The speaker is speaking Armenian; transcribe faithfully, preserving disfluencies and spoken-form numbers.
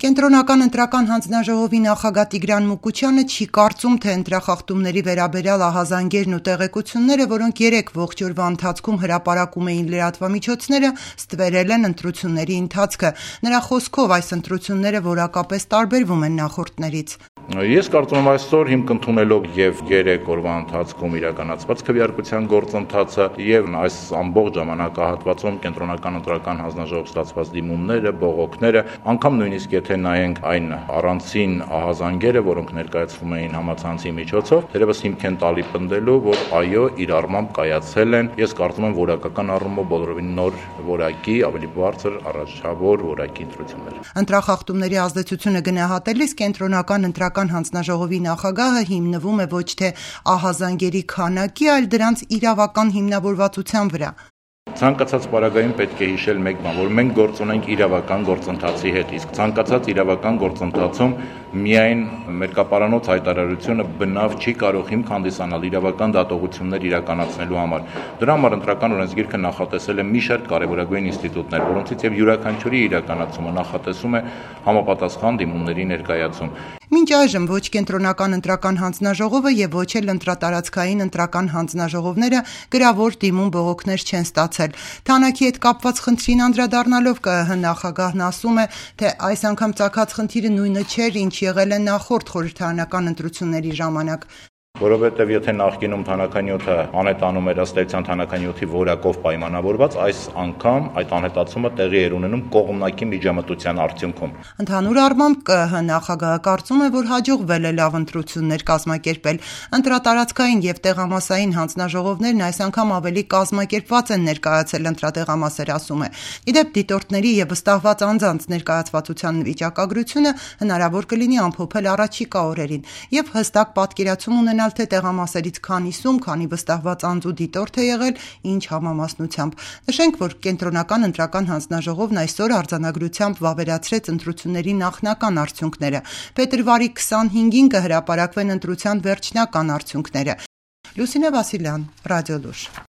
Կենտրոնական ընտրական հանձնաժողովի նախագահ Տիգրան Մուկուչյանը չի կարծում, թե ընտրախախտումների վերաբերյալ ահազանգերն ու տեղեկությունները, որոնք երեկ ողջ օրվա ընթացքում հրապարակում էին լրատվամիջոցները, ստվերել են ընտրությունների ընթացքը։ Նրա խոսքով այս ընտրությունները որակապես տարբերվում են նախորդներից։ Ես կարծում եմ այսօր հիմք ընդունելով եւ երեք օրվա ընթացքում իրականացված քվեարկության գործընթացը եւ այս ամբողջ ժամանակահատվածում կենտրոնական ընտրական հանձնաժողով ստացված դիմումները, բողոքները, անգամ նույնիսկ եթե նայենք այն առանցին ահազանգերը, որոնք ներկայացվում էին համացանցի միջոցով, թերևս հիմք են տալի պնդելու, որ այո, իր առմամբ կայացել են, ես կարծում եմ որակական առումով բոլորովին նոր որակի, ավելի բարձր առաջավոր որակի ընտրություններ։ Ընտրախախտումների ազդեցությունը գնահատելիս կենտրոնական ընտրական հանձնաժողովի նախագահը հիմնվում է ոչ թե ահազանգերի քանակի, այլ դրանց իրավական հիմնավորվածության վրա։ Ցանկացած պարագայում պետք է հիշել մեկ բան, որ մենք գործ ունենք իրավական գործընթացի հետ, իսկ ցանկացած իրավական գործընթացում միայն մերկապարանոց հայտարարությունը բնավ չի կարող հիմք հանդիսանալ իրավական դատողություններ իրականացնելու համար։ Դրա համար ընտրական օրենսգիրքը նախատեսել է մի շարք կարևորագույն ինստիտուտներ, որոնցից եւ յուրաքանչյուրի իրականացումը նախատեսում է համապատասխան դիմումների ներկայացում։ Մինչ այժմ ոչ կենտրոնական ընտրական հանձնաժողովը եւ ոչ էլ ընտրատարածքային ընտրական հանձնաժողովները գրավոր դիմում բողոքներ չեն ստացել։ Թանաքի հետ կապված խնդրին անդրադառնալով ԿԸՀ նախագահն ասում է, թե այս անգամ ծագած խնդիրը նույնը չէր, ինչ եղել է նախորդ խորհրդարանական ընտրությունների ժամանակ։ Որովհետև եթե նախկինում թանականյութը անհետանում էր ըստ էության թանականյութի որակով պայմանավորված, այս անգամ այդ անհետացումը տեղի էր ունենում կողմնակի միջամտության արդյունքում։ Ընդհանուր առմամբ ԿԸՀ նախագահը կարծում է, որ հաջողվել է լավ ընտրություններ կազմակերպել։ Ընտրատարածքային եւ տեղամասային հանձնաժողովներն այս անգամ ավելի կազմակերպված են ներկայացել ընտրատեղամասեր, ասում է։ Իդեպ դիտորդների եւ վստահված անձանց ներկայացվածության վիճակագրությունը հնարավոր կլինի ամփոփել առաջիկա օրերին եւ հստակ պատկերացում ունենալ թե տեղամասերից քանիսում, քանի վստահված անձ ու դիտորդ է եղել, ինչ համամասնությամբ։ Նշենք, որ կենտրոնական ընտրական հանձնաժողովն այսօր արձանագրությամբ վավերացրեց ընտրությունների նախնական արդյունքները։ Փետրվարի քսանհինգին կհրապարակվեն ընտրության վերջնական արդյունքները։ Լուսինե Վասիլյան, Ռադիոլուր։